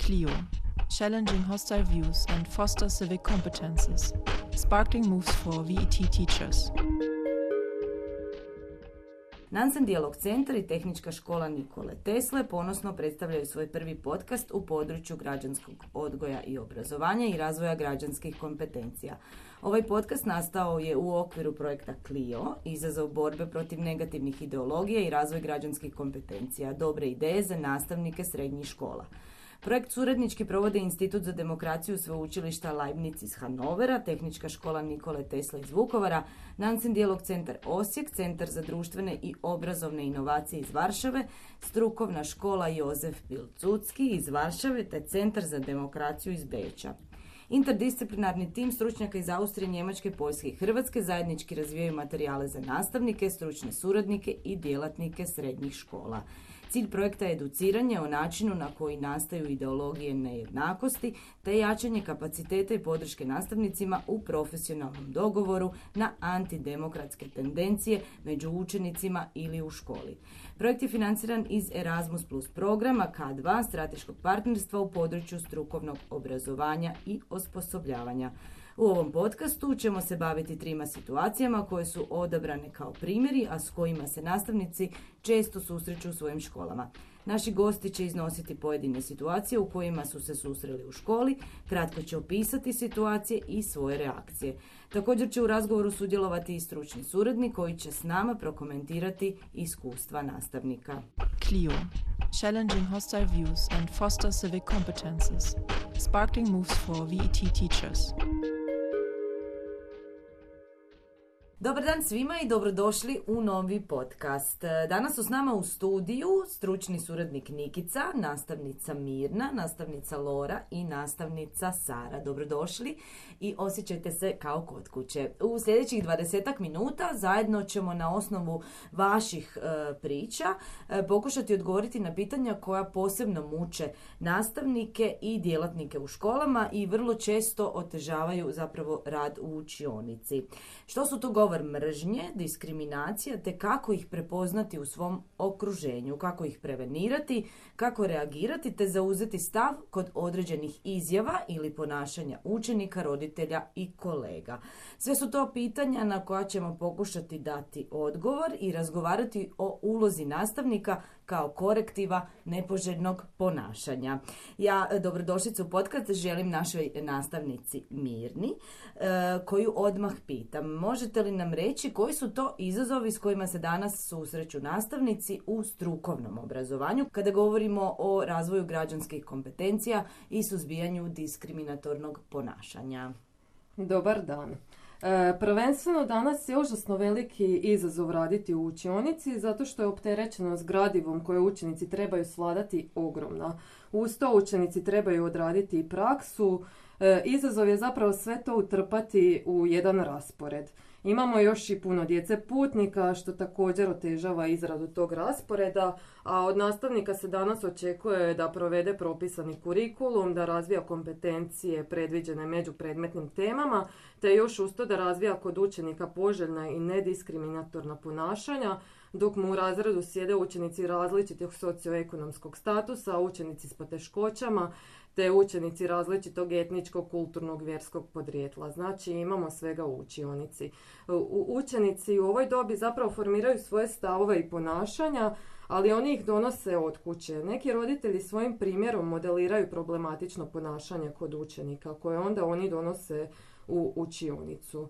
CLIO, challenging hostile views and foster civic competences. Sparkling moves for VET teachers. Nansen Dijalog centar i Tehnička škola Nikole Tesle ponosno predstavljaju svoj prvi podcast u području građanskog odgoja i obrazovanja i razvoja građanskih kompetencija. Ovaj podcast nastao je u okviru projekta CLIO, izazov borbe protiv negativnih ideologija i razvoj građanskih kompetencija, dobre ideje za nastavnike srednjih škola. Projekt suradnički provode Institut za demokraciju Sveučilišta Leibniz iz Hanovera, Tehnička škola Nikole Tesle iz Vukovara, Nansen Dijalog centar Osijek, Centar za društvene i obrazovne inovacije iz Varšave, Strukovna škola Jozef Pilsudski iz Varšave te Centar za demokraciju iz Beča. Interdisciplinarni tim stručnjaka iz Austrije, Njemačke, Poljske i Hrvatske zajednički razvijaju materijale za nastavnike, stručne suradnike i djelatnike srednjih škola. Cilj projekta je educiranje o načinu na koji nastaju ideologije nejednakosti te jačanje kapaciteta i podrške nastavnicima u profesionalnom dogovoru na antidemokratske tendencije među učenicima ili u školi. Projekt je financiran iz Erasmus Plus programa K2 strateškog partnerstva u području strukovnog obrazovanja i osposobljavanja. U ovom podcastu ćemo se baviti 3 situacijama koje su odabrane kao primjeri, a s kojima se nastavnici često susreću u svojim školama. Naši gosti će iznositi pojedine situacije u kojima su se susreli u školi, kratko će opisati situacije i svoje reakcije. Također će u razgovoru sudjelovati i stručni suradnik koji će s nama prokomentirati iskustva nastavnika. CLIO, challenging hostile views and foster civic competences. Sparkling moves for VET teachers. Dobar dan svima i dobrodošli u novi podcast. Danas su s nama u studiju stručni suradnik Nikica, nastavnica Mirna, nastavnica Lora i nastavnica Sara. Dobrodošli i osjećajte se kao kod kuće. U sljedećih 20 minuta zajedno ćemo na osnovu vaših priča pokušati odgovoriti na pitanja koja posebno muče nastavnike i djelatnike u školama i vrlo često otežavaju zapravo rad u učionici. Što su to govor mržnje, diskriminacija, te kako ih prepoznati u svom okruženju, kako ih prevenirati, kako reagirati, te zauzeti stav kod određenih izjava ili ponašanja učenika, roditelja i kolega. Sve su to pitanja na koja ćemo pokušati dati odgovor i razgovarati o ulozi nastavnika kao korektiva nepoželjnog ponašanja. Ja dobrodošlicu u podcast želim našoj nastavnici Mirni, koju odmah pitam. Možete li nam reći koji su to izazovi s kojima se danas susreću nastavnici u strukovnom obrazovanju kada govorimo o razvoju građanskih kompetencija i suzbijanju diskriminatornog ponašanja? Dobar dan. Prvenstveno danas je užasno veliki izazov raditi u učionici zato što je opterećenost gradivom koje učenici trebaju svladati ogromna. Uz to učenici trebaju odraditi i praksu. Izazov je zapravo sve to utrpati u jedan raspored. Imamo još i puno djece putnika što također otežava izradu tog rasporeda, a od nastavnika se danas očekuje da provede propisani kurikulum, da razvija kompetencije predviđene međupredmetnim temama, te još uz to da razvija kod učenika poželjna i nediskriminatorna ponašanja, dok mu u razredu sjede učenici različitog socioekonomskog statusa, učenici s poteškoćama, te učenici različitog etničkog, kulturnog, vjerskog podrijetla. Znači imamo svega u učionici. Učenici u ovoj dobi zapravo formiraju svoje stavove i ponašanja, ali oni ih donose od kuće. Neki roditelji svojim primjerom modeliraju problematično ponašanje kod učenika koje onda oni donose u učionicu.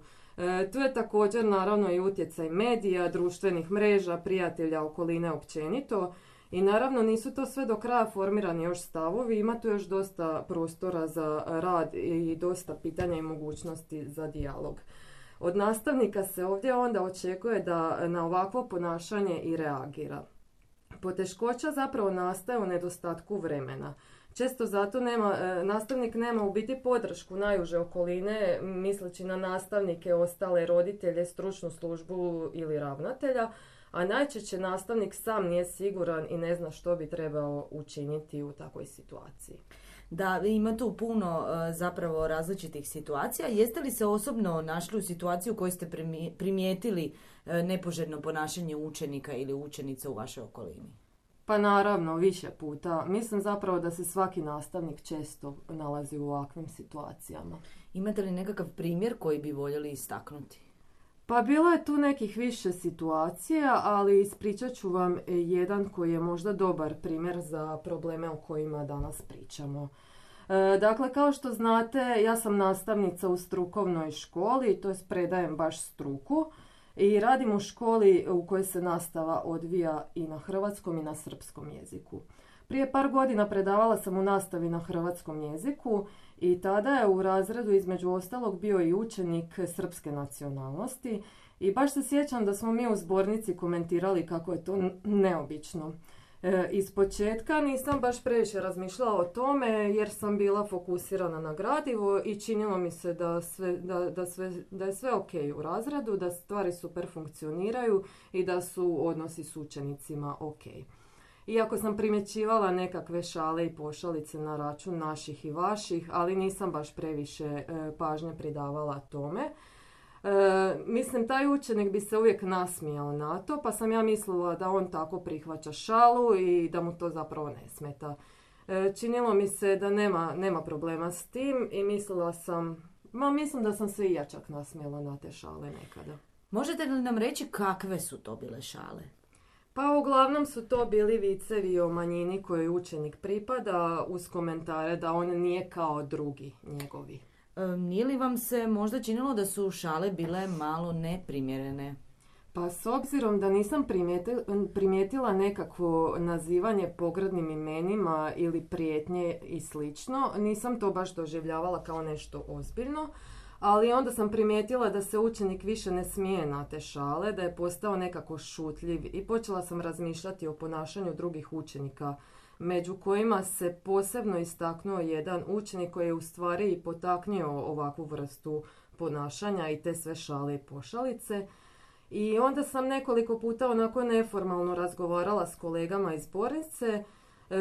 Tu je također naravno i utjecaj medija, društvenih mreža, prijatelja, okoline općenito. I naravno nisu to sve do kraja formirani još stavovi, ima tu još dosta prostora za rad i dosta pitanja i mogućnosti za dijalog. Od nastavnika se ovdje onda očekuje da na ovakvo ponašanje i reagira. Poteškoća zapravo nastaje u nedostatku vremena. Često zato nastavnik nema u biti podršku najuže okoline, misleći na nastavnike, ostale roditelje, stručnu službu ili ravnatelja, a najčešće nastavnik sam nije siguran i ne zna što bi trebao učiniti u takvoj situaciji. Da, ima tu puno zapravo različitih situacija. Jeste li se osobno našli u situaciji u kojoj ste primijetili nepoželjno ponašanje učenika ili učenica u vašoj okolini? Pa naravno, više puta. Mislim zapravo da se svaki nastavnik često nalazi u ovakvim situacijama. Imate li nekakav primjer koji bi voljeli istaknuti? Pa bilo je tu nekih više situacija, ali ispričat ću vam jedan koji je možda dobar primjer za probleme o kojima danas pričamo. Dakle, kao što znate, ja sam nastavnica u strukovnoj školi, to jest predajem baš struku i radim u školi u kojoj se nastava odvija i na hrvatskom i na srpskom jeziku. Prije par godina predavala sam u nastavi na hrvatskom jeziku i tada je u razredu između ostalog bio i učenik srpske nacionalnosti i baš se sjećam da smo mi u zbornici komentirali kako je to neobično. Iz početka nisam baš previše razmišljala o tome jer sam bila fokusirana na gradivo i činilo mi se da je sve ok u razredu, da stvari super funkcioniraju i da su odnosi s učenicima ok. Iako sam primjećivala nekakve šale i pošalice na račun naših i vaših, ali nisam baš previše pažnje pridavala tome. Mislim, taj učenik bi se uvijek nasmijao na to, pa sam ja mislila da on tako prihvaća šalu i da mu to zapravo ne smeta. Činilo mi se da nema problema s tim i mislim da sam se i ja čak nasmijala na te šale nekada. Možete li nam reći kakve su to bile šale? Pa uglavnom su to bili vicevi o manjini kojoj učenik pripada uz komentare da on nije kao drugi njegovi. Nije li vam se možda činilo da su šale bile malo neprimjerene? Pa s obzirom da nisam primijetila nekakvo nazivanje pogrdnim imenima ili prijetnje i slično, nisam to baš doživljavala kao nešto ozbiljno, ali onda sam primijetila da se učenik više ne smije na te šale, da je postao nekako šutljiv i počela sam razmišljati o ponašanju drugih učenika, među kojima se posebno istaknuo jedan učenik koji je u stvari i potaknuo ovakvu vrstu ponašanja i te sve šale i pošalice. I onda sam nekoliko puta onako neformalno razgovarala s kolegama iz zbornice,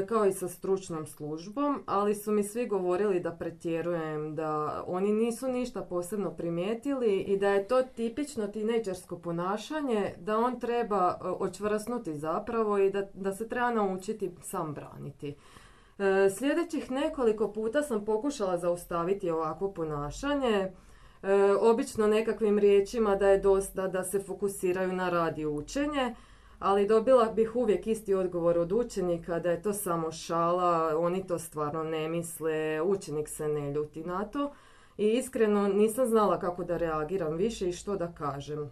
kao i sa stručnom službom, ali su mi svi govorili da pretjerujem, da oni nisu ništa posebno primijetili i da je to tipično tinejdžersko ponašanje, da on treba očvrasnuti zapravo i da se treba naučiti sam braniti. Sljedećih nekoliko puta sam pokušala zaustaviti ovakvo ponašanje, obično nekakvim riječima da je dosta da se fokusiraju na rad i učenje, ali dobila bih uvijek isti odgovor od učenika da je to samo šala, oni to stvarno ne misle, učenik se ne ljuti na to i iskreno nisam znala kako da reagiram više i što da kažem.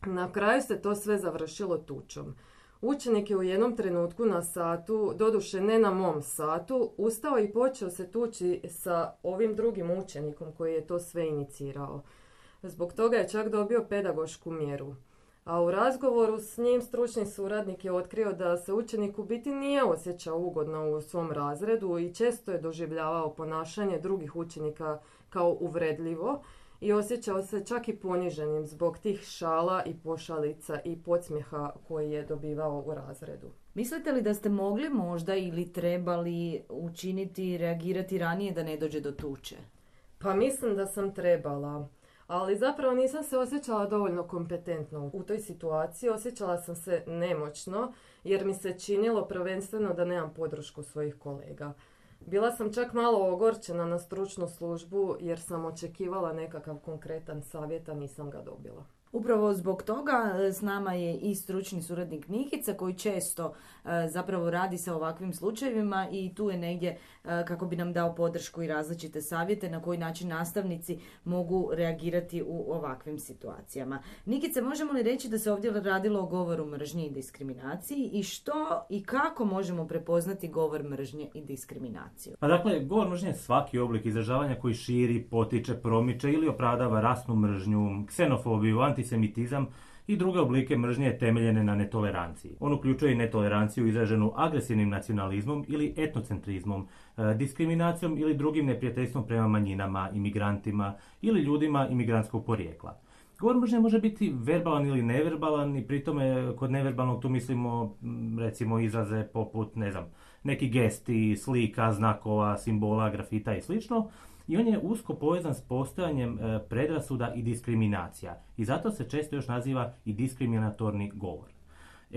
Na kraju se to sve završilo tučom. Učenik je u jednom trenutku na satu, doduše ne na mom satu, ustao i počeo se tući sa ovim drugim učenikom koji je to sve inicirao. Zbog toga je čak dobio pedagošku mjeru. A u razgovoru s njim stručni suradnik je otkrio da se učenik u biti nije osjećao ugodno u svom razredu i često je doživljavao ponašanje drugih učenika kao uvredljivo i osjećao se čak i poniženim zbog tih šala i pošalica i podsmjeha koji je dobivao u razredu. Mislite li da ste mogli možda ili trebali učiniti, reagirati ranije da ne dođe do tuče? Pa mislim da sam trebala. Ali zapravo nisam se osjećala dovoljno kompetentno u toj situaciji, osjećala sam se nemoćno jer mi se činilo prvenstveno da nemam podršku svojih kolega. Bila sam čak malo ogorčena na stručnu službu jer sam očekivala nekakav konkretan savjet, a nisam ga dobila. Upravo zbog toga s nama je i stručni suradnik Nikica koji često zapravo radi sa ovakvim slučajevima i tu je negdje kako bi nam dao podršku i različite savjete na koji način nastavnici mogu reagirati u ovakvim situacijama. Nikice, možemo li reći da se ovdje radilo o govoru mržnje i diskriminaciji i što i kako možemo prepoznati govor mržnje i diskriminaciju? Pa dakle, govor mržnje je svaki oblik izražavanja koji širi, potiče, promiče ili opravdava rasnu mržnju, ksenofobiju, antisemitizam i druge oblike mržnje temeljene na netoleranciji. On uključuje i netoleranciju izraženu agresivnim nacionalizmom ili etnocentrizmom, diskriminacijom ili drugim neprijateljstvom prema manjinama, imigrantima ili ljudima imigrantskog porijekla. Govor mržnje može biti verbalan ili neverbalan i pri tome kod neverbalnog tu mislimo recimo izraze poput, neki gesti, slika, znakova, simbola, grafita i slično. I on je usko povezan s postojanjem predrasuda i diskriminacija. I zato se često još naziva i diskriminatorni govor.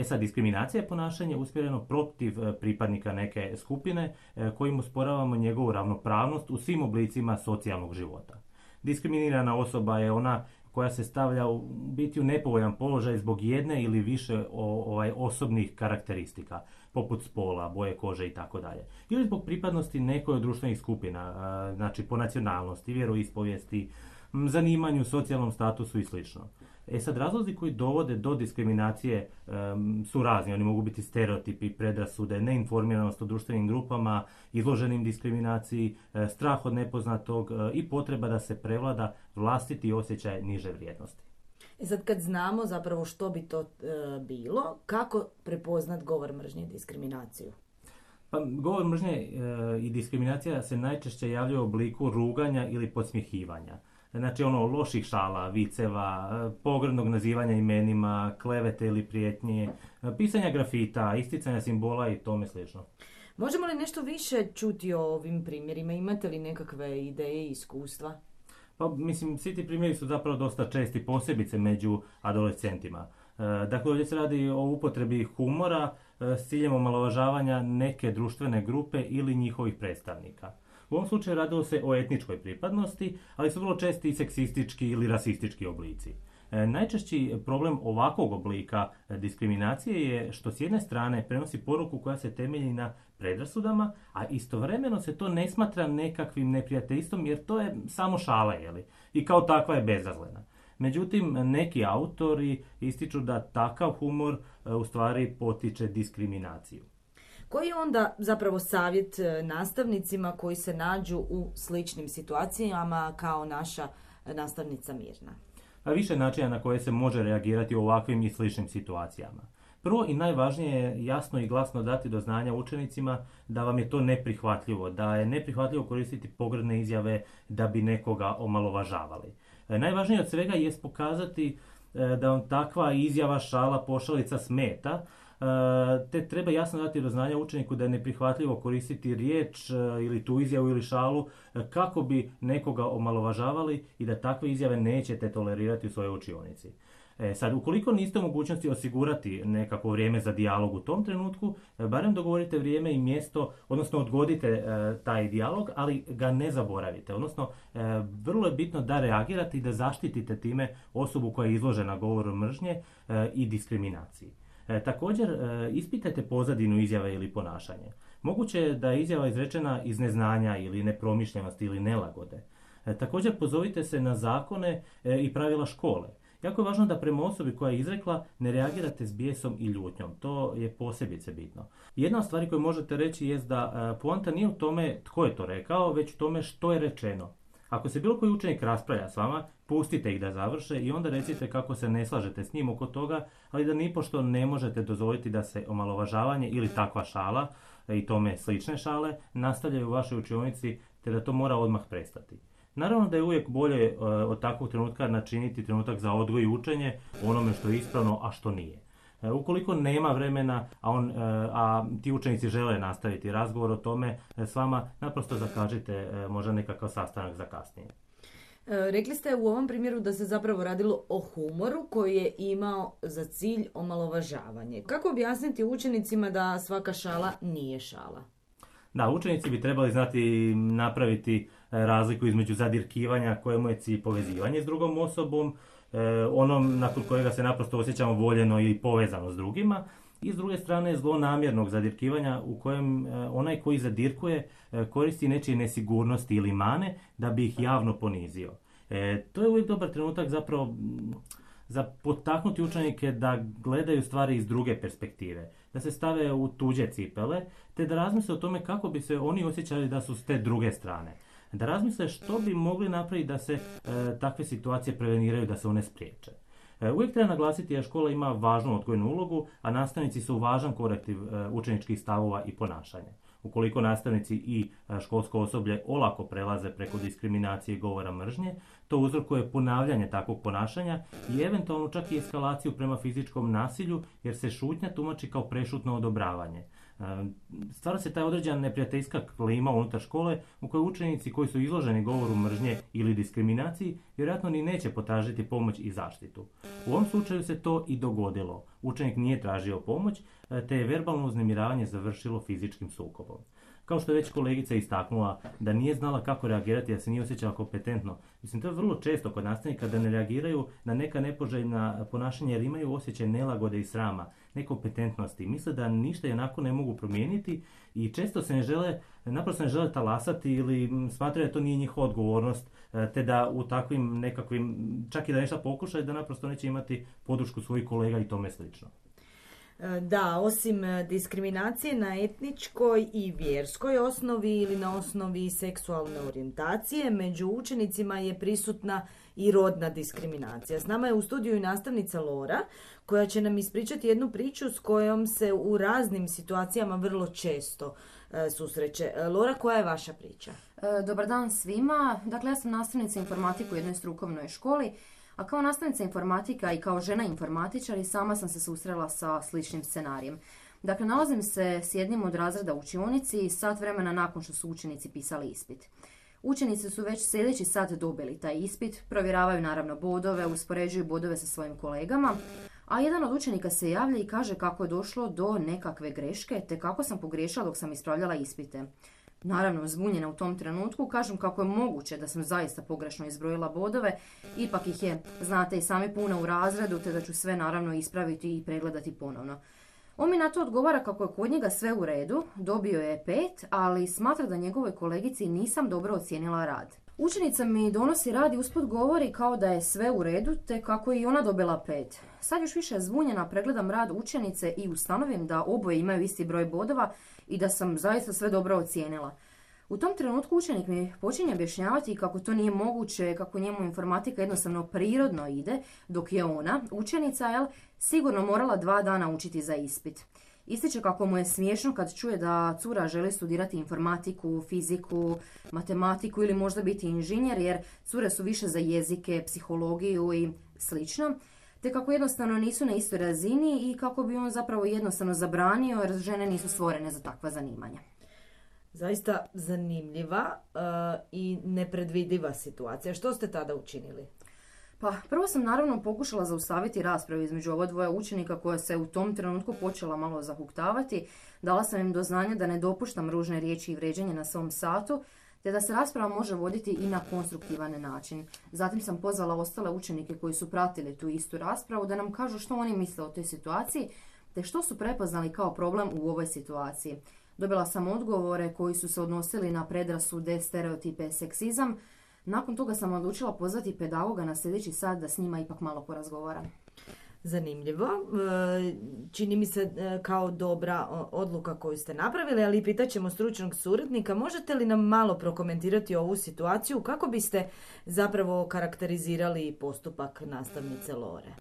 Sad, diskriminacija je ponašanje usmjereno protiv pripadnika neke skupine kojim usporavamo njegovu ravnopravnost u svim oblicima socijalnog života. Diskriminirana osoba je ona koja se stavlja u biti u nepovoljan položaj zbog jedne ili više osobnih karakteristika, poput spola, boje kože i tako dalje. Ili zbog pripadnosti nekoj od društvenih skupina, znači po nacionalnosti, vjeroispovijesti, zanimanju, socijalnom statusu i sl. Sad, razlozi koji dovode do diskriminacije su razni. Oni mogu biti stereotipi, predrasude, neinformiranost o društvenim grupama, izloženim diskriminaciji, strah od nepoznatog i potreba da se prevlada vlastiti osjećaj niže vrijednosti. Sad, kad znamo zapravo što bi to bilo, kako prepoznat govor mržnje i diskriminaciju? Pa, govor mržnje i diskriminacija se najčešće javljaju u obliku ruganja ili podsmjehivanja. Znači loših šala, viceva, pogrdnog nazivanja imenima, klevete ili prijetnje, pisanja grafita, isticanja simbola i tome slično. Možemo li nešto više čuti o ovim primjerima? Imate li nekakve ideje i iskustva? Pa, svi ti primjeri su zapravo dosta česti, posebice među adolescentima. Dakle, ovdje se radi o upotrebi humora s ciljem omalovažavanja neke društvene grupe ili njihovih predstavnika. U ovom slučaju radilo se o etničkoj pripadnosti, ali su vrlo česti i seksistički ili rasistički oblici. Najčešći problem ovakvog oblika diskriminacije je što s jedne strane prenosi poruku koja se temelji na predrasudama, a istovremeno se to ne smatra nekakvim neprijateljstvom jer to je samo šala, i kao takva je bezazlena. Međutim, neki autori ističu da takav humor u stvari potiče diskriminaciju. Koji je onda zapravo savjet nastavnicima koji se nađu u sličnim situacijama kao naša nastavnica Mirna? Više načina na koje se može reagirati u ovakvim i sličnim situacijama. Prvo i najvažnije je jasno i glasno dati do znanja učenicima da vam je to neprihvatljivo, da je neprihvatljivo koristiti pogrdne izjave da bi nekoga omalovažavali. Najvažnije od svega je pokazati da vam takva izjava, šala, pošalica smeta, te treba jasno dati do znanja učeniku da je neprihvatljivo koristiti riječ ili tu izjavu ili šalu kako bi nekoga omalovažavali i da takve izjave nećete tolerirati u svojoj učionici. Sad, ukoliko niste u mogućnosti osigurati nekako vrijeme za dijalog u tom trenutku, barem dogovorite vrijeme i mjesto, odnosno odgodite taj dijalog, ali ga ne zaboravite. Odnosno, vrlo je bitno da reagirate i da zaštitite time osobu koja je izložena govoru mržnje i diskriminaciji. Također, ispitajte pozadinu izjave ili ponašanje. Moguće je da je izjava izrečena iz neznanja ili nepromišljenosti ili nelagode. Također, pozovite se na zakone i pravila škole. Jako je važno da prema osobi koja je izrekla ne reagirate s bijesom i ljutnjom. To je posebice bitno. Jedna od stvari koju možete reći jest da poanta nije u tome tko je to rekao, već u tome što je rečeno. Ako se bilo koji učenik raspravlja s vama, pustite ih da završe i onda recite kako se ne slažete s njim oko toga, ali da nipošto ne možete dozvoliti da se omalovažavanje ili takva šala i tome slične šale nastavljaju u vašoj učionici, te da to mora odmah prestati. Naravno da je uvijek bolje od takvog trenutka načiniti trenutak za odgoj i učenje onome što je ispravno, a što nije. Ukoliko nema vremena, a ti učenici žele nastaviti razgovor o tome s vama, naprosto zakažite možda nekakav sastanak za kasnije. Rekli ste u ovom primjeru da se zapravo radilo o humoru koji je imao za cilj omalovažavanje. Kako objasniti učenicima da svaka šala nije šala? Da, učenici bi trebali znati napraviti razliku između zadirkivanja kojemu je cilj povezivanje s drugom osobom, onom nakon kojega se naprosto osjećamo voljeno ili povezano s drugima, i s druge strane zlonamjernog zadirkivanja u kojem onaj koji zadirkuje koristi nečije nesigurnosti ili mane da bi ih javno ponizio. To je uvijek dobar trenutak zapravo za potaknuti učenike da gledaju stvari iz druge perspektive, da se stave u tuđe cipele, te da razmisle o tome kako bi se oni osjećali da su s te druge strane. Da razmisle što bi mogli napraviti da se takve situacije preveniraju, da se one spriječe. Uvijek treba naglasiti da škola ima važnu odgojnu ulogu, a nastavnici su važan korektiv učeničkih stavova i ponašanja. Ukoliko nastavnici i školsko osoblje olako prelaze preko diskriminacije i govora mržnje, to uzrokuje ponavljanje takvog ponašanja i eventualno čak i eskalaciju prema fizičkom nasilju, jer se šutnja tumači kao prešutno odobravanje. Stvara se ta određena neprijateljska klima unutar škole u kojoj učenici koji su izloženi govoru mržnje ili diskriminaciji vjerojatno ni neće potražiti pomoć i zaštitu. U ovom slučaju se to i dogodilo. Učenik nije tražio pomoć, te je verbalno uznemiravanje završilo fizičkim sukobom. Kao što je već kolegica istaknula da nije znala kako reagirati, da se nije osjećala kompetentno. Mislim, to je vrlo često kod nastavnika da ne reagiraju na neka nepoželjna ponašanja jer imaju osjećaj nelagode i srama, nekompetentnosti. Misle da ništa i onako ne mogu promijeniti i često se naprosto ne žele talasati ili smatraju da to nije njihova odgovornost, te da u takvim nekakvim, čak i da nešto pokušaju, da naprosto neće imati podršku svojih kolega i tome slično. Da, osim diskriminacije na etničkoj i vjerskoj osnovi ili na osnovi seksualne orijentacije, među učenicima je prisutna i rodna diskriminacija. S nama je u studiju i nastavnica Lora, koja će nam ispričati jednu priču s kojom se u raznim situacijama vrlo često susreće. Lora, koja je vaša priča? Dobar dan svima. Dakle, ja sam nastavnica informatike u jednoj strukovnoj školi. A kao nastavnica informatika i kao žena informatičar i sama sam se susrela sa sličnim scenarijem. Dakle, nalazim se s jednim od razreda u učionici sat vremena nakon što su učenici pisali ispit. Učenici su već sljedeći sat dobili taj ispit, provjeravaju naravno bodove, uspoređuju bodove sa svojim kolegama, a jedan od učenika se javlja i kaže kako je došlo do nekakve greške te kako sam pogriješila dok sam ispravljala ispite. Naravno, zbunjena u tom trenutku, kažem kako je moguće da sam zaista pogrešno izbrojila bodove, ipak ih je, znate, i sami puno u razredu, te da ću sve naravno ispraviti i pregledati ponovno. On mi na to odgovara kako je kod njega sve u redu, dobio je 5, ali smatra da njegovoj kolegici nisam dobro ocijenila rad. Učenica mi donosi rad i usput govori kao da je sve u redu, te kako je i ona dobila 5. Sad još više zbunjena pregledam rad učenice i ustanovim da oboje imaju isti broj bodova i da sam zaista sve dobro ocijenila. U tom trenutku učenik mi počinje objašnjavati kako to nije moguće, kako njemu informatika jednostavno prirodno ide, dok je ona, učenica, sigurno morala 2 dana učiti za ispit. Ističe kako mu je smiješno kad čuje da cura želi studirati informatiku, fiziku, matematiku ili možda biti inženjer, jer cure su više za jezike, psihologiju i slično, te kako jednostavno nisu na istoj razini i kako bi on zapravo jednostavno zabranio jer žene nisu stvorene za takva zanimanja. Zaista zanimljiva i nepredvidiva situacija. Što ste tada učinili? Pa, prvo sam naravno pokušala zaustaviti raspravu između ova dvoja učenika koja se u tom trenutku počela malo zahuktavati. Dala sam im do znanja da ne dopuštam ružne riječi i vrijeđanje na svom satu, te da se rasprava može voditi i na konstruktivan način. Zatim sam pozvala ostale učenike koji su pratili tu istu raspravu da nam kažu što oni misle o toj situaciji, te što su prepoznali kao problem u ovoj situaciji. Dobila sam odgovore koji su se odnosili na predrasude, stereotipe, seksizam. Nakon toga sam odlučila pozvati pedagoga na sljedeći sat da s njima ipak malo porazgovaram. Zanimljivo. Čini mi se kao dobra odluka koju ste napravili, ali pitat ćemo stručnog suradnika. Možete li nam malo prokomentirati ovu situaciju? Kako biste zapravo karakterizirali postupak nastavnice Lore?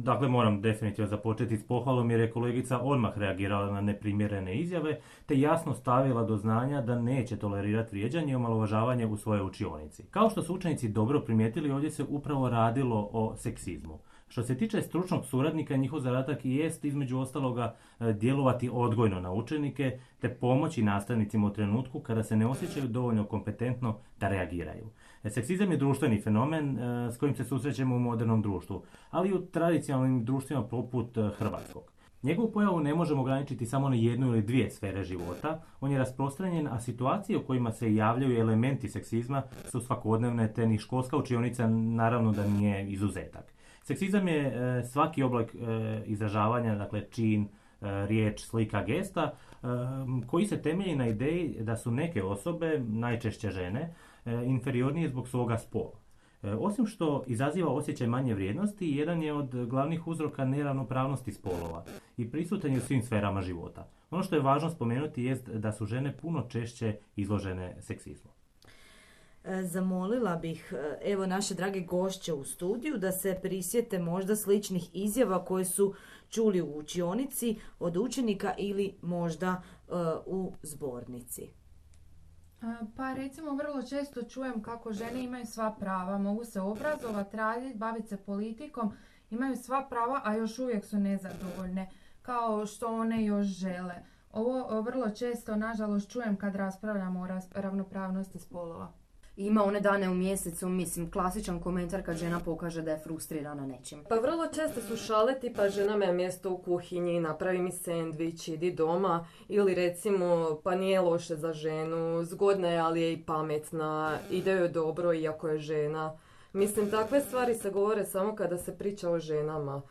Dakle, moram definitivno započeti s pohvalom jer je kolegica odmah reagirala na neprimjerene izjave te jasno stavila do znanja da neće tolerirati vrijeđanje i omalovažavanje u svojoj učionici. Kao što su učenici dobro primijetili, ovdje se upravo radilo o seksizmu. Što se tiče stručnog suradnika, njihov zadatak i jest između ostaloga djelovati odgojno na učenike te pomoći nastavnicima u trenutku kada se ne osjećaju dovoljno kompetentno da reagiraju. Seksizam je društveni fenomen s kojim se susrećemo u modernom društvu, ali i u tradicionalnim društvima poput hrvatskog. Njegovu pojavu ne možemo ograničiti samo na jednu ili dvije sfere života, on je rasprostranjen, a situacije u kojima se javljaju elementi seksizma su svakodnevne, te ni školska učionica naravno da nije izuzetak. Seksizam je svaki oblik izražavanja, dakle čin, riječ, slika, gesta, koji se temelji na ideji da su neke osobe, najčešće žene, inferiornije zbog svoga spola. Osim što izaziva osjećaj manje vrijednosti, jedan je od glavnih uzroka neravnopravnosti spolova i prisutan je u svim sferama života. Ono što je važno spomenuti jest da su žene puno češće izložene seksizmu. Zamolila bih evo naše drage gošće u studiju da se prisjete možda sličnih izjava koje su čuli u učionici od učenika ili možda u zbornici. Pa recimo vrlo često čujem kako žene imaju sva prava, mogu se obrazovati, raditi, baviti se politikom, imaju sva prava, a još uvijek su nezadovoljne, kao što one još žele. Ovo vrlo često, nažalost, čujem kad raspravljamo o ravnopravnosti spolova. Ima one dane u mjesecu, mislim, klasičan komentar kad žena pokaže da je frustrirana nečim. Pa vrlo često su šale tipa žena me mjesto u kuhinji, napravi mi sendvič, idi doma, ili recimo pa nije loše za ženu, zgodna je ali je i pametna, ide joj dobro iako je žena. Mislim, takve stvari se govore samo kada se priča o ženama.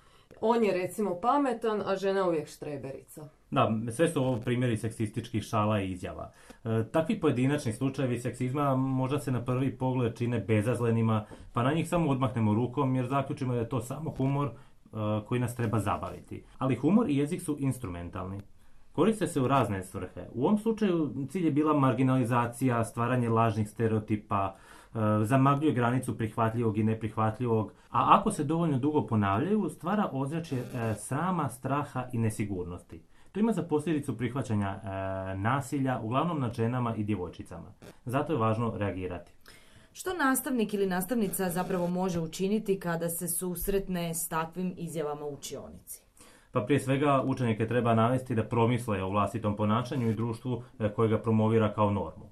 On je recimo pametan, a žena uvijek štreberica. Da, sve su ovo primjeri seksističkih šala i izjava. Takvi pojedinačni slučajevi seksizma možda se na prvi pogled čine bezazlenima, pa na njih samo odmahnemo rukom jer zaključimo da je to samo humor koji nas treba zabaviti. Ali humor i jezik su instrumentalni. Koriste se u razne svrhe. U ovom slučaju cilj je bila marginalizacija, stvaranje lažnih stereotipa, zamagljuje granicu prihvatljivog i neprihvatljivog, a ako se dovoljno dugo ponavljaju, stvara ozračje srama, straha i nesigurnosti. To ima za posljedicu prihvaćanja nasilja, uglavnom nad ženama i djevojčicama. Zato je važno reagirati. Što nastavnik ili nastavnica zapravo može učiniti kada se susretne s takvim izjavama u učionici? Pa prije svega učenike treba navesti da promisle o vlastitom ponašanju i društvu koje ga promovira kao normu.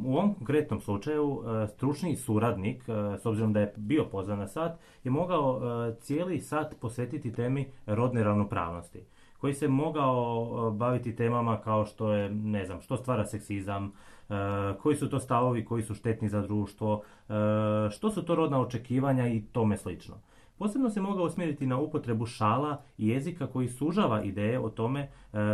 U ovom konkretnom slučaju stručni suradnik, s obzirom da je bio pozvan na sat, je mogao cijeli sat posvetiti temi rodne ravnopravnosti, koji se mogao baviti temama kao što je, ne znam, što stvara seksizam, koji su to stavovi koji su štetni za društvo, što su to rodna očekivanja i tome slično. Posebno se mogao usmjeriti na upotrebu šala i jezika koji sužava ideje o tome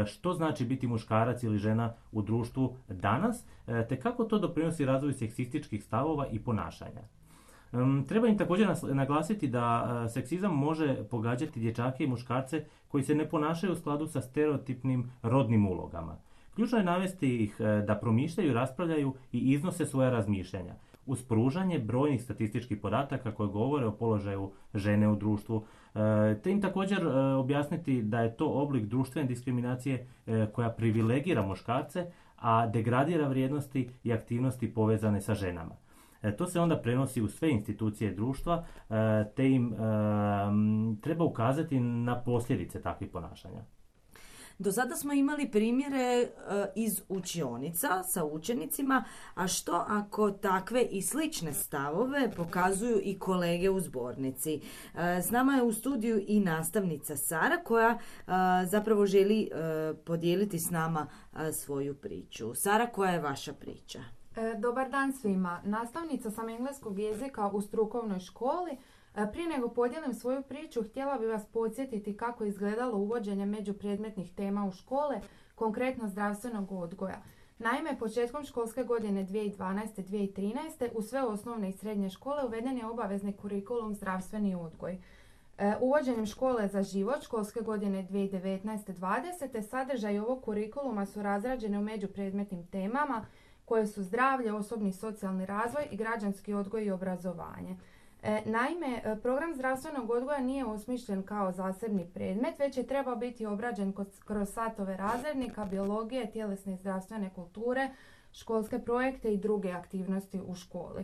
što znači biti muškarac ili žena u društvu danas, te kako to doprinosi razvoju seksističkih stavova i ponašanja. Treba im također naglasiti da seksizam može pogađati dječake i muškarce koji se ne ponašaju u skladu sa stereotipnim rodnim ulogama. Ključno je navesti ih da promišljaju, raspravljaju i iznose svoja razmišljanja, uz pružanje brojnih statističkih podataka koji govore o položaju žene u društvu, te im također objasniti da je to oblik društvene diskriminacije koja privilegira muškarce, a degradira vrijednosti i aktivnosti povezane sa ženama. To se onda prenosi u sve institucije društva, te im treba ukazati na posljedice takvih ponašanja. Do sada smo imali primjere iz učionica sa učenicima, a što ako takve i slične stavove pokazuju i kolege u zbornici? S nama je u studiju i nastavnica Sara koja zapravo želi podijeliti s nama svoju priču. Sara, koja je vaša priča? Dobar dan svima. Nastavnica sam engleskog jezika u strukovnoj školi. Prije nego podijelim svoju priču, htjela bih vas podsjetiti kako je izgledalo uvođenje međupredmetnih tema u škole, konkretno zdravstvenog odgoja. Naime, početkom školske godine 2012-2013 u sve osnovne i srednje škole uveden je obavezni kurikulum zdravstveni odgoj. Uvođenjem škole za život školske godine 2019-2020 sadržaj ovog kurikuluma su razrađeni u međupredmetnim temama koje su zdravlje, osobni i socijalni razvoj i građanski odgoj i obrazovanje. Naime, program zdravstvenog odgoja nije osmišljen kao zasebni predmet, već je trebao biti obrađen kroz satove razrednika, biologije, tjelesne i zdravstvene kulture, školske projekte i druge aktivnosti u školi.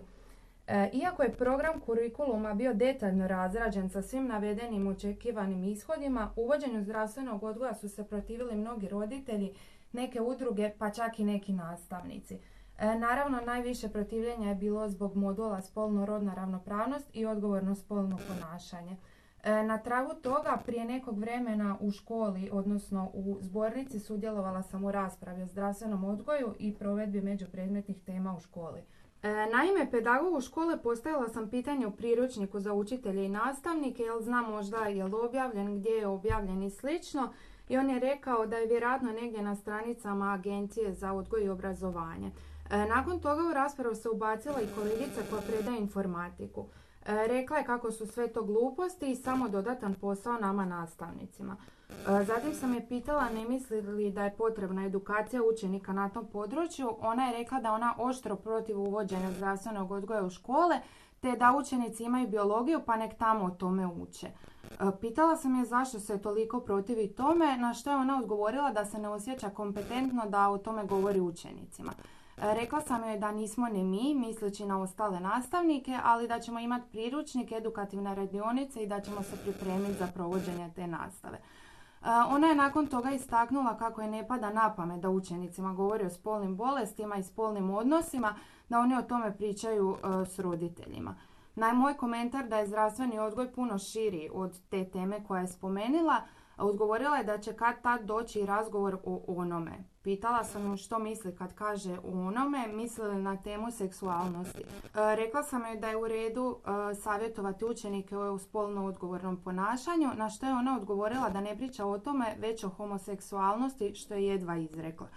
Iako je program kurikuluma bio detaljno razrađen sa svim navedenim očekivanim ishodima, uvođenju zdravstvenog odgoja su se protivili mnogi roditelji, neke udruge, pa čak i neki nastavnici. Naravno, najviše protivljenja je bilo zbog modula spolno-rodna ravnopravnost i odgovorno spolno ponašanje. Na tragu toga, prije nekog vremena u školi, odnosno u zbornici, sudjelovala sam u raspravi o zdravstvenom odgoju i provedbi međupredmetnih tema u školi. Naime, pedagogu škole postavila sam pitanje u priručniku za učitelje i nastavnike, jel zna možda je li objavljen, gdje je objavljen i slično, i on je rekao da je vjerojatno negdje na stranicama Agencije za odgoj i obrazovanje. Nakon toga u raspravu se ubacila i kolegica koja predaje informatiku. Rekla je kako su sve to gluposti i samo dodatan posao nama nastavnicima. Zatim sam je pitala ne misli li da je potrebna edukacija učenika na tom području. Ona je rekla da ona oštro protiv uvođenja zdravstvenog odgoja u škole, te da učenici imaju biologiju pa nek tamo o tome uče. Pitala sam je zašto se toliko protivi tome, na što je ona odgovorila da se ne osjeća kompetentno da o tome govori učenicima. Rekla sam joj da nismo ni mi, misleći na ostale nastavnike, ali da ćemo imati priručnik, edukativne radionice i da ćemo se pripremiti za provođenje te nastave. Ona je nakon toga istaknula kako je ne pada na pamet da učenicima govori o spolnim bolestima i spolnim odnosima, da oni o tome pričaju s roditeljima. Moj komentar da je zdravstveni odgoj puno širi od te teme koja je spomenula, odgovorila je da će kad tad doći i razgovor o onome. Pitala sam ju što misli kad kaže o onome, misli li na temu seksualnosti. Rekla sam joj da je u redu savjetovati učenike o spolno odgovornom ponašanju, na što je ona odgovorila da ne priča o tome, već o homoseksualnosti, što je jedva izrekla.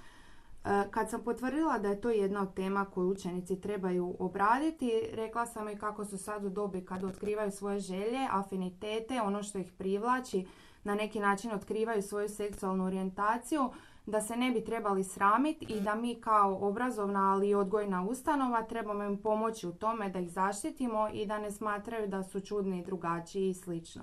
Kad sam potvrdila da je to jedna od tema koju učenici trebaju obraditi, rekla sam i kako su sad u dobi kad otkrivaju svoje želje, afinitete, ono što ih privlači, na neki način otkrivaju svoju seksualnu orijentaciju, da se ne bi trebali sramiti i da mi kao obrazovna, ali i odgojna ustanova trebamo im pomoći u tome da ih zaštitimo i da ne smatraju da su čudni, drugačiji i slično.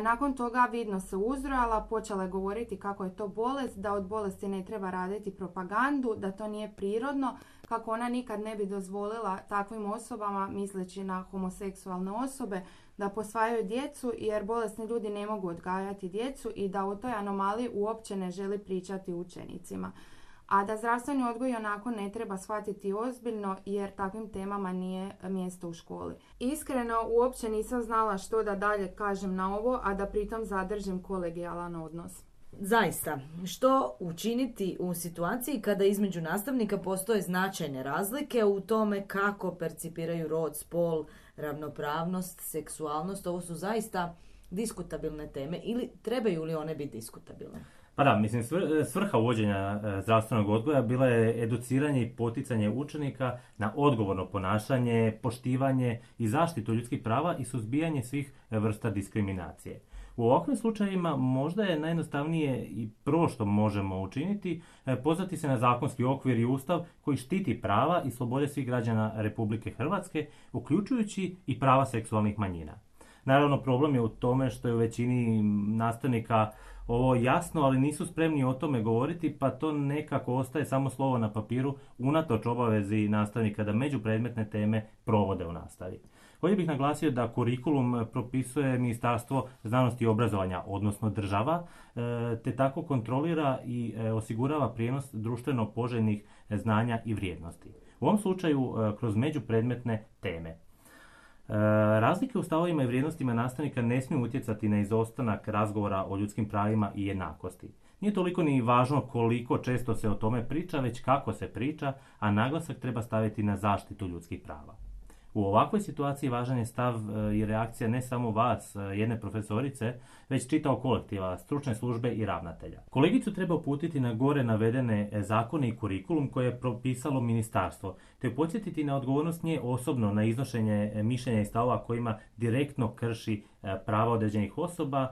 Nakon toga vidno se uzrojala, počela je govoriti kako je to bolest, da od bolesti ne treba raditi propagandu, da to nije prirodno, kako ona nikad ne bi dozvolila takvim osobama, misleći na homoseksualne osobe, da posvajaju djecu jer bolesni ljudi ne mogu odgajati djecu i da o toj anomaliji uopće ne želi pričati učenicima. A da zdravstveni odgoj onako ne treba shvatiti ozbiljno jer takvim temama nije mjesto u školi. Iskreno, uopće nisam znala što da dalje kažem na ovo, a da pritom zadržim kolegijalan odnos. Zaista, što učiniti u situaciji kada između nastavnika postoje značajne razlike u tome kako percipiraju rod, spol, ravnopravnost, seksualnost? Ovo su zaista diskutabilne teme ili trebaju li one biti diskutabilne? Pa da, mislim, svrha uvođenja zdravstvenog odgoja bila je educiranje i poticanje učenika na odgovorno ponašanje, poštivanje i zaštitu ljudskih prava i suzbijanje svih vrsta diskriminacije. U ovakvim slučajevima možda je najjednostavnije i prvo što možemo učiniti pozvati se na zakonski okvir i ustav koji štiti prava i slobode svih građana Republike Hrvatske, uključujući i prava seksualnih manjina. Naravno, problem je u tome što je u većini nastavnika ovo jasno, ali nisu spremni o tome govoriti, pa to nekako ostaje samo slovo na papiru unatoč obavezi nastavnika da međupredmetne teme provode u nastavi. Ovdje bih naglasio da kurikulum propisuje Ministarstvo znanosti i obrazovanja, odnosno država, te tako kontrolira i osigurava prijenos društveno poželjnih znanja i vrijednosti. U ovom slučaju kroz međupredmetne teme. Razlike u stavovima i vrijednostima nastavnika ne smiju utjecati na izostanak razgovora o ljudskim pravima i jednakosti. Nije toliko ni važno koliko često se o tome priča, već kako se priča, a naglasak treba staviti na zaštitu ljudskih prava. U ovakvoj situaciji važan je stav i reakcija ne samo vas, jedne profesorice, već čitavog kolektiva, stručne službe i ravnatelja. Kolegicu treba uputiti na gore navedene zakone i kurikulum koje je propisalo ministarstvo, te podsjetiti na odgovornost nje osobno na iznošenje mišljenja i stavova kojima direktno krši prava određenih osoba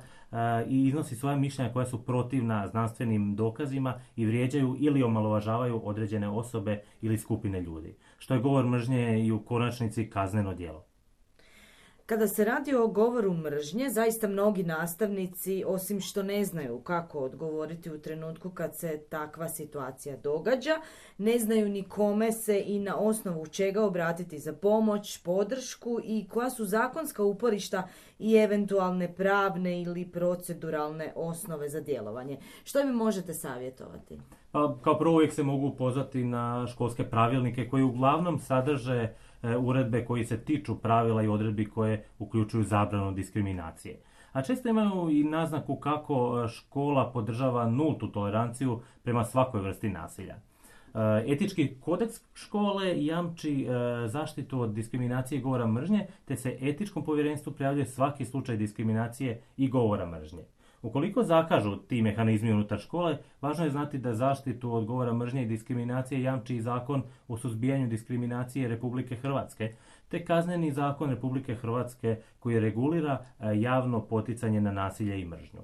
i iznosi svoja mišljenja koja su protivna znanstvenim dokazima i vrijeđaju ili omalovažavaju određene osobe ili skupine ljudi, što je govor mržnje i u konačnici kazneno djelo. Kada se radi o govoru mržnje, zaista mnogi nastavnici, osim što ne znaju kako odgovoriti u trenutku kad se takva situacija događa, ne znaju ni kome se i na osnovu čega obratiti za pomoć, podršku i koja su zakonska uporišta i eventualne pravne ili proceduralne osnove za djelovanje. Što mi možete savjetovati? Pa, kao prvo uvijek se mogu pozvati na školske pravilnike koji uglavnom sadrže uredbe koji se tiču pravila i odredbi koje uključuju zabranu diskriminacije. A često imaju i naznaku kako škola podržava nultu toleranciju prema svakoj vrsti nasilja. Etički kodeks škole jamči zaštitu od diskriminacije i govora mržnje, te se etičkom povjerenstvu prijavljuje svaki slučaj diskriminacije i govora mržnje. Ukoliko zakažu ti mehanizmi unutar škole, važno je znati da zaštitu od govora mržnje i diskriminacije jamči i Zakon o suzbijanju diskriminacije Republike Hrvatske, te Kazneni zakon Republike Hrvatske koji regulira javno poticanje na nasilje i mržnju.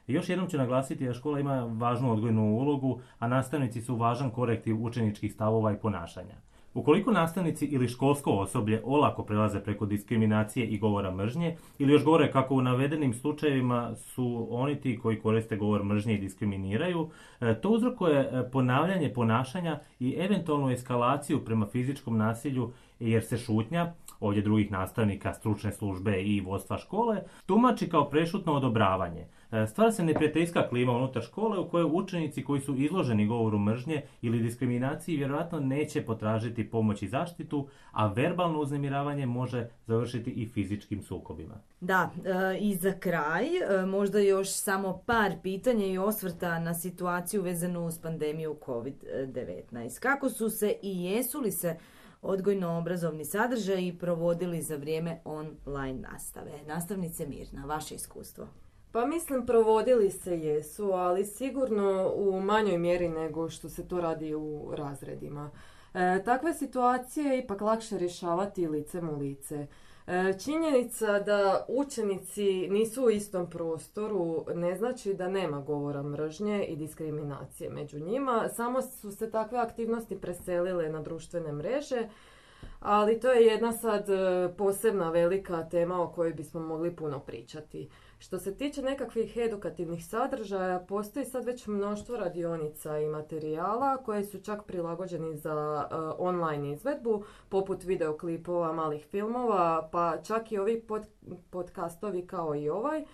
I još jednom ću naglasiti da škola ima važnu odgojnu ulogu, a nastavnici su važan korektiv učeničkih stavova i ponašanja. Ukoliko nastavnici ili školsko osoblje olako prelaze preko diskriminacije i govora mržnje, ili još gore kako u navedenim slučajevima su oni ti koji koriste govor mržnje i diskriminiraju, to uzrokuje ponavljanje ponašanja i eventualnu eskalaciju prema fizičkom nasilju jer se šutnja, ovdje drugih nastavnika, stručne službe i vodstva škole, tumači kao prešutno odobravanje. Stvara se neprijateljska klima unutar škole u kojoj učenici koji su izloženi govoru mržnje ili diskriminaciji vjerojatno neće potražiti pomoć i zaštitu, a verbalno uznemiravanje može završiti i fizičkim sukobima. Da, i za kraj možda još samo par pitanja i osvrta na situaciju vezanu uz pandemiju COVID-19. Kako su se i jesu li se odgojno-obrazovni sadržaji provodili za vrijeme online nastave? Nastavnice Mirna, vaše iskustvo. Pa mislim provodili se jesu, ali sigurno u manjoj mjeri nego što se to radi u razredima. Takve situacije je ipak lakše rješavati licem u lice. Činjenica da učenici nisu u istom prostoru ne znači da nema govora mržnje i diskriminacije među njima, samo su se takve aktivnosti preselile na društvene mreže, ali to je jedna sad posebna velika tema o kojoj bismo mogli puno pričati. Što se tiče nekakvih edukativnih sadržaja, postoji sad već mnoštvo radionica i materijala koje su čak prilagođeni za online izvedbu, poput videoklipova, malih filmova, pa čak i ovi podcastovi kao i ovaj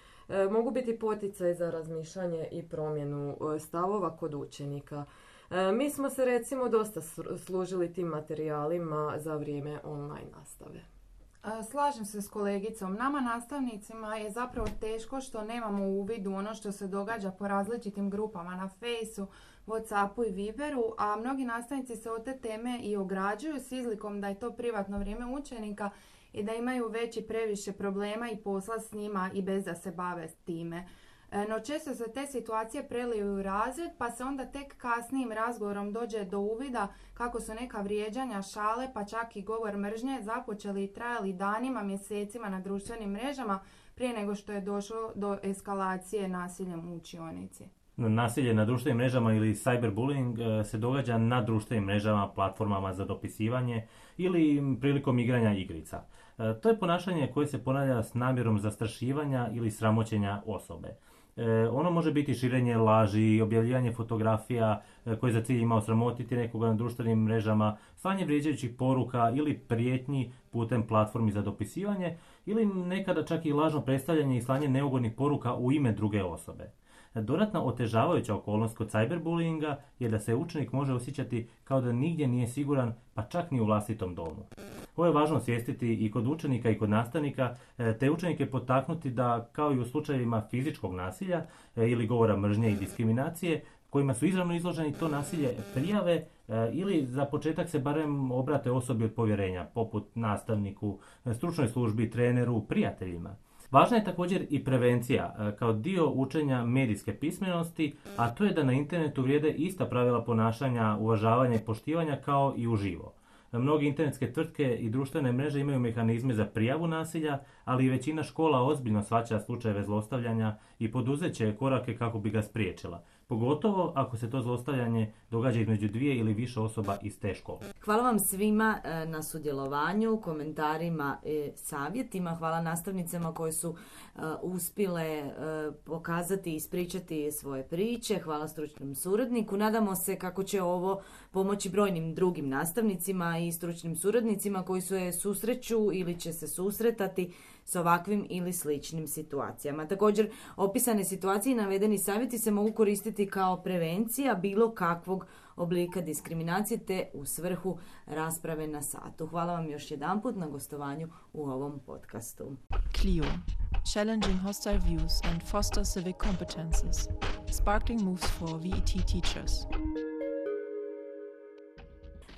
mogu biti poticaj za razmišljanje i promjenu stavova kod učenika. Mi smo se recimo dosta služili tim materijalima za vrijeme online nastave. Slažem se s kolegicom. Nama nastavnicima je zapravo teško što nemamo uvid u ono što se događa po različitim grupama na Fejsu, Whatsappu i Viberu, a mnogi nastavnici se od te teme i ograđuju s izlikom da je to privatno vrijeme učenika i da imaju već i previše problema i posla s njima i bez da se bave s time. No često se te situacije preliju u razred, pa se onda tek kasnijim razgovorom dođe do uvida kako su neka vrijeđanja, šale, pa čak i govor mržnje započeli i trajali danima, mjesecima na društvenim mrežama prije nego što je došlo do eskalacije nasiljem u učionici. Nasilje na društvenim mrežama ili cyberbullying se događa na društvenim mrežama, platformama za dopisivanje ili prilikom igranja igrica. To je ponašanje koje se ponavlja s namjerom zastrašivanja ili sramoćenja osobe. Ono može biti širenje laži, objavljivanje fotografija koje za cilj ima osramotiti nekoga na društvenim mrežama, slanje vrijeđajućih poruka ili prijetnji putem platformi za dopisivanje ili nekada čak i lažno predstavljanje i slanje neugodnih poruka u ime druge osobe. Dodatna otežavajuća okolnost kod cyberbullyinga je da se učenik može osjećati kao da nigdje nije siguran, pa čak ni u vlastitom domu. Ovo je važno osvijestiti i kod učenika i kod nastavnika, te učenike potaknuti da, kao i u slučajevima fizičkog nasilja ili govora mržnje i diskriminacije, kojima su izravno izloženi, to nasilje prijave ili za početak se barem obrate osobi od povjerenja, poput nastavniku, stručnoj službi, treneru, prijateljima. Važna je također i prevencija kao dio učenja medijske pismenosti, a to je da na internetu vrijede ista pravila ponašanja, uvažavanja i poštivanja kao i uživo. Mnoge internetske tvrtke i društvene mreže imaju mehanizme za prijavu nasilja, ali i većina škola ozbiljno shvaća slučajeve zlostavljanja i poduzeće korake kako bi ga spriječila. Pogotovo ako se to zlostavljanje događa između dvije ili više osoba iz te škole. Hvala vam svima na sudjelovanju, komentarima, savjetima. Hvala nastavnicama koje su uspjele pokazati i ispričati svoje priče. Hvala stručnom suradniku. Nadamo se kako će ovo pomoći brojnim drugim nastavnicima i stručnim suradnicima koji se susreću ili će se susretati s ovakvim ili sličnim situacijama. Također, opisane situacije i navedeni savjeti se mogu koristiti kao prevencija bilo kakvog oblika diskriminacije te u svrhu rasprave na satu. Hvala vam još jedanput na gostovanju u ovom podcastu. CLIO – Challenging Hostile Views and Foster Civic Competences. Sparkling Moves for VET Teachers.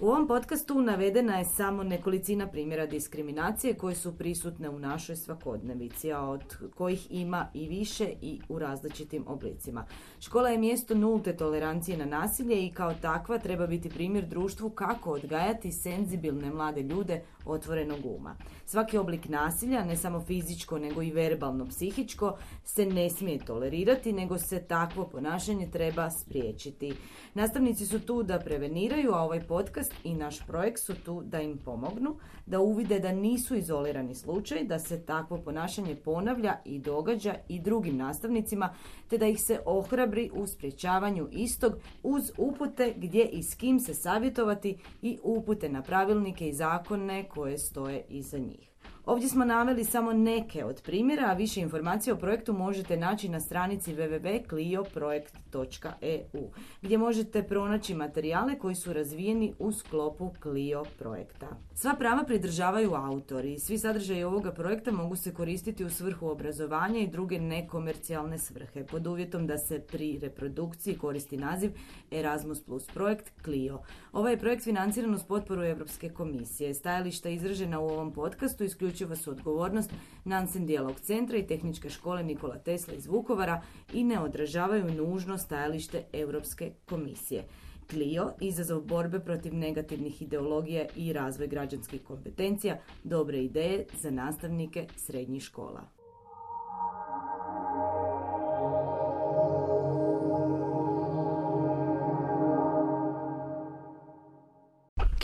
U ovom podcastu navedena je samo nekolicina primjera diskriminacije koje su prisutne u našoj svakodnevici, a od kojih ima i više i u različitim oblicima. Škola je mjesto nulte tolerancije na nasilje i kao takva treba biti primjer društvu kako odgajati senzibilne mlade ljude otvorenog uma. Svaki oblik nasilja, ne samo fizičko nego i verbalno, psihičko, se ne smije tolerirati, nego se takvo ponašanje treba spriječiti. Nastavnici su tu da preveniraju, a ovaj podcast i naš projekt su tu da im pomognu, da uvide da nisu izolirani slučaj, da se takvo ponašanje ponavlja i događa i drugim nastavnicima, te da ih se ohrabri u sprječavanju istog uz upute gdje i s kim se savjetovati i upute na pravilnike i zakone koje stoje iza njih. Ovdje smo naveli samo neke od primjera, a više informacija o projektu možete naći na stranici www.clioprojekt.eu, gdje možete pronaći materijale koji su razvijeni u sklopu Clio projekta. Sva prava pridržavaju autori i svi sadržaji ovoga projekta mogu se koristiti u svrhu obrazovanja i druge nekomercijalne svrhe, pod uvjetom da se pri reprodukciji koristi naziv Erasmus Plus projekt Clio. Ovaj je projekt financiran uz potporu Europske komisije. Stajališta izražena u ovom podcastu isključivo su odgovornost Nansen Dijalog centra i Tehničke škole Nikola Tesla iz Vukovara i ne odražavaju nužno stajalište Europske komisije. Clio, izazov borbe protiv negativnih ideologija i razvoj građanskih kompetencija, dobre ideje za nastavnike srednjih škola.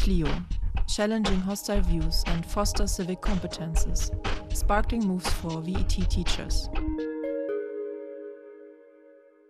Clio, challenging hostile views and foster civic competences, sparkling moves for VET teachers.